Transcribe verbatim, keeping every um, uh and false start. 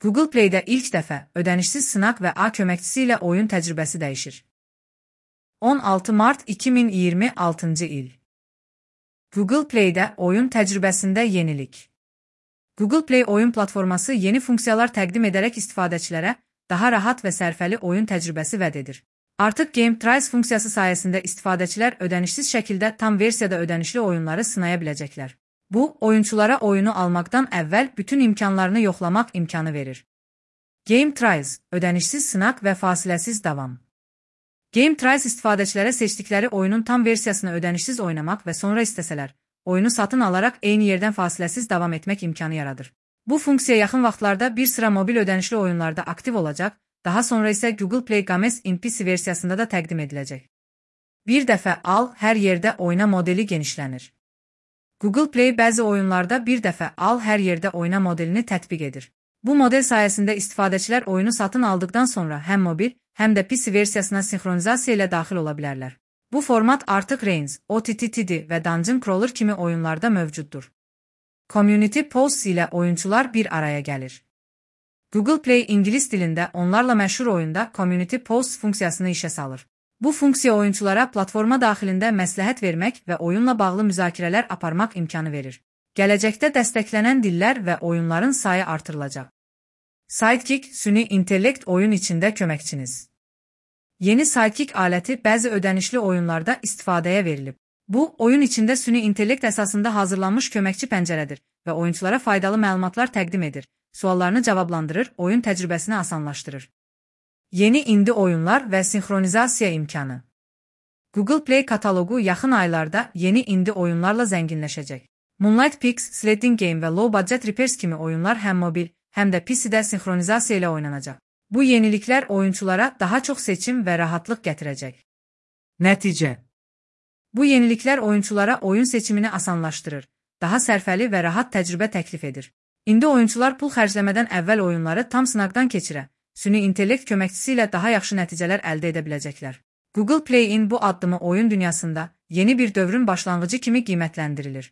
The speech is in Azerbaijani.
Google Play'də ilk dəfə ödənişsiz sınaq və A köməkçisi ilə oyun təcrübəsi dəyişir. on altı mart iki min iyirmi altıncı il. Google Play'də oyun təcrübəsində yenilik. Google Play oyun platforması yeni funksiyalar təqdim edərək istifadəçilərə daha rahat və sərfəli oyun təcrübəsi vəd edir. Artıq Game Trials funksiyası sayəsində istifadəçilər ödənişsiz şəkildə tam versiyada ödənişli oyunları sınaya biləcəklər. Bu, oyunçulara oyunu almaqdan əvvəl bütün imkanlarını yoxlamaq imkanı verir. Game Trials, ödənişsiz sınaq və fasiləsiz davam. Game Trials istifadəçilərə seçdikləri oyunun tam versiyasını ödənişsiz oynamaq və sonra istəsələr, oyunu satın alaraq eyni yerdən fasiləsiz davam etmək imkanı yaradır. Bu funksiya yaxın vaxtlarda bir sıra mobil ödənişli oyunlarda aktiv olacaq, daha sonra isə Google Play Games in P C versiyasında da təqdim ediləcək. Bir dəfə al, hər yerdə oyna modeli genişlənir. Google Play bəzi oyunlarda bir dəfə al, hər yerdə oyna modelini tətbiq edir. Bu model sayəsində istifadəçilər oyunu satın aldıqdan sonra həm mobil, həm də P C versiyasına sinxronizasiya ilə daxil ola bilərlər. Bu format artıq Reigns, O T T T D və Dungeon Crawler kimi oyunlarda mövcuddur. Community Posts ilə oyunçular bir araya gəlir. Google Play ingilis dilində onlarla məşhur oyunda Community Posts funksiyasını işə salır. Bu funksiya oyunçulara platforma daxilində məsləhət vermək və oyunla bağlı müzakirələr aparmaq imkanı verir. Gələcəkdə dəstəklənən dillər və oyunların sayı artırılacaq. Sidekick, süni intellekt oyun içində köməkçiniz. Yeni Sidekick aləti bəzi ödənişli oyunlarda istifadəyə verilib. Bu, oyun içində süni intellekt əsasında hazırlanmış köməkçi pəncərədir və oyunçulara faydalı məlumatlar təqdim edir, suallarını cavablandırır, oyun təcrübəsini asanlaşdırır. Yeni indi oyunlar və sinxronizasiya imkanı. Google Play kataloqu yaxın aylarda yeni indi oyunlarla zənginləşəcək. Moonlight Peaks, Sledding Game və Low Budget Repairs kimi oyunlar həm mobil, həm də P C-də sinxronizasiya ilə oynanacaq. Bu yeniliklər oyunçulara daha çox seçim və rahatlıq gətirəcək. Nəticə. Bu yeniliklər oyunçulara oyun seçimini asanlaşdırır, daha sərfəli və rahat təcrübə təklif edir. İndi oyunçular pul xərcləmədən əvvəl oyunları tam sınaqdan keçirə, süni intellekt köməkçisi ilə daha yaxşı nəticələr əldə edə biləcəklər. Google Play-in bu addımı oyun dünyasında yeni bir dövrün başlanğıcı kimi qiymətləndirilir.